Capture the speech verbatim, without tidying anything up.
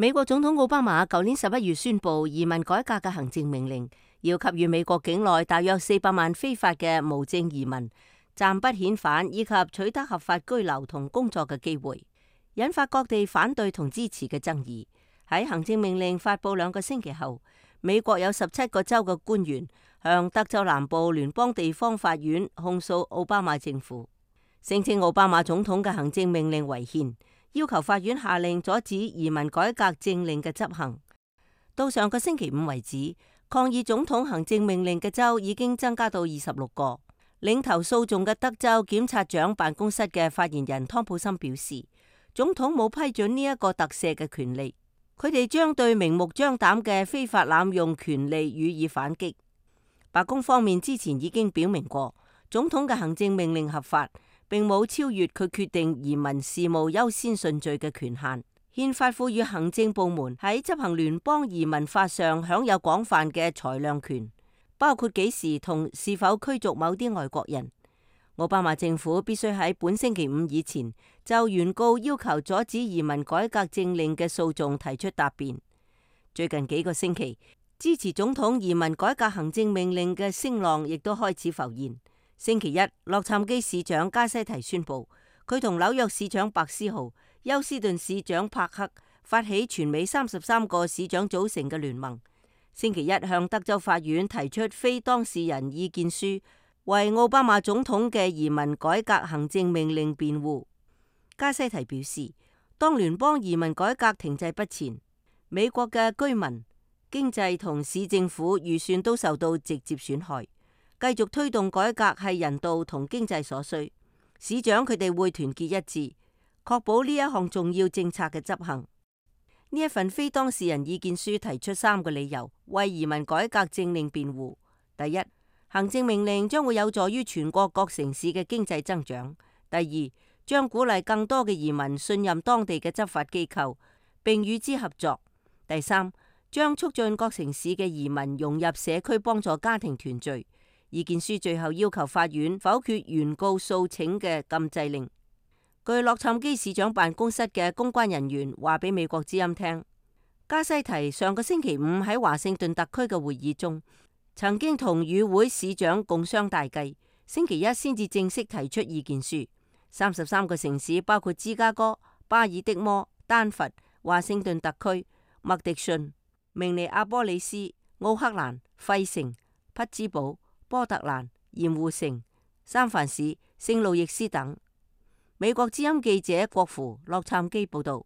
美國總統奧巴馬舊年十一月宣布移民改革嘅行政命令，要給予美國境內大約四百萬非法嘅無證移民暫不遣返以及取得合法居留同工作嘅機會，引發各地反對同支持嘅爭議。喺行政命令發布兩個星期後，美國有十七個州嘅官員向德州南部聯邦地方法院控訴奧巴馬政府，聲稱奧巴馬總統嘅行政命令違憲，要求法院下令阻止移民改革政令嘅執行。到上個星期五為止，抗議總統行政命令嘅州已經增加到二十六個。領頭訴訟嘅德州檢察長辦公室嘅發言人湯普森表示，總統冇批准呢一個特赦嘅權利，佢哋將對明目張膽嘅非法濫用權利予以反擊。白宮方面之前已經表明過，總統嘅行政命令合法，並冇超越佢決定移民事務優先順序嘅權限。憲法賦予行政部門喺執行聯邦移民法上享有廣泛嘅裁量權，包括幾時同是否驅逐某啲外國人。奧巴馬政府必須喺本星期五以前就原告要求阻止移民改革政令嘅訴訟提出答辯。最近幾個星期，支持總統移民改革行政命令嘅聲浪亦都開始浮現。星期一，洛杉磯市長加西提宣布，佢同紐約市長白思豪、休斯頓市長帕克發起全美三十三個市長組成嘅聯盟，星期一向德州法院提出非當事人意見書，為奧巴馬總統嘅移民改革行政命令辯護。加西提表示，當聯邦移民改革停滯不前，美國嘅居民、經濟同市政府預算都受到直接損害。繼續推動改革係人道同經濟所需，市長佢哋會團結一致，確保呢一項重要政策嘅執行。呢一份非當事人意見書提出三個理由，為移民改革政令辯護。第一，行政命令將會有助於全國各城市嘅經濟增長。第二，將鼓勵更多嘅移民信任當地嘅執法機構，並與之合作。第三，將促進各城市嘅移民融入社區，幫助家庭團聚。意見書最後要求法院否決原告訴請嘅禁制令。據洛杉磯市長辦公室嘅公關人員話俾美國之音聽，加西提上個星期五喺華盛頓特區嘅會議中，曾經同與會市長共商大計，星期一先至正式提出意見書。三十三個城市包括芝加哥、巴爾的摩、丹佛、華盛頓特區、麥迪遜、明尼阿波利斯、奧克蘭、費城、匹茲堡、波特蘭、鹽湖城、三藩市、聖路易斯等。美國之音記者郭芙洛杉磯報道。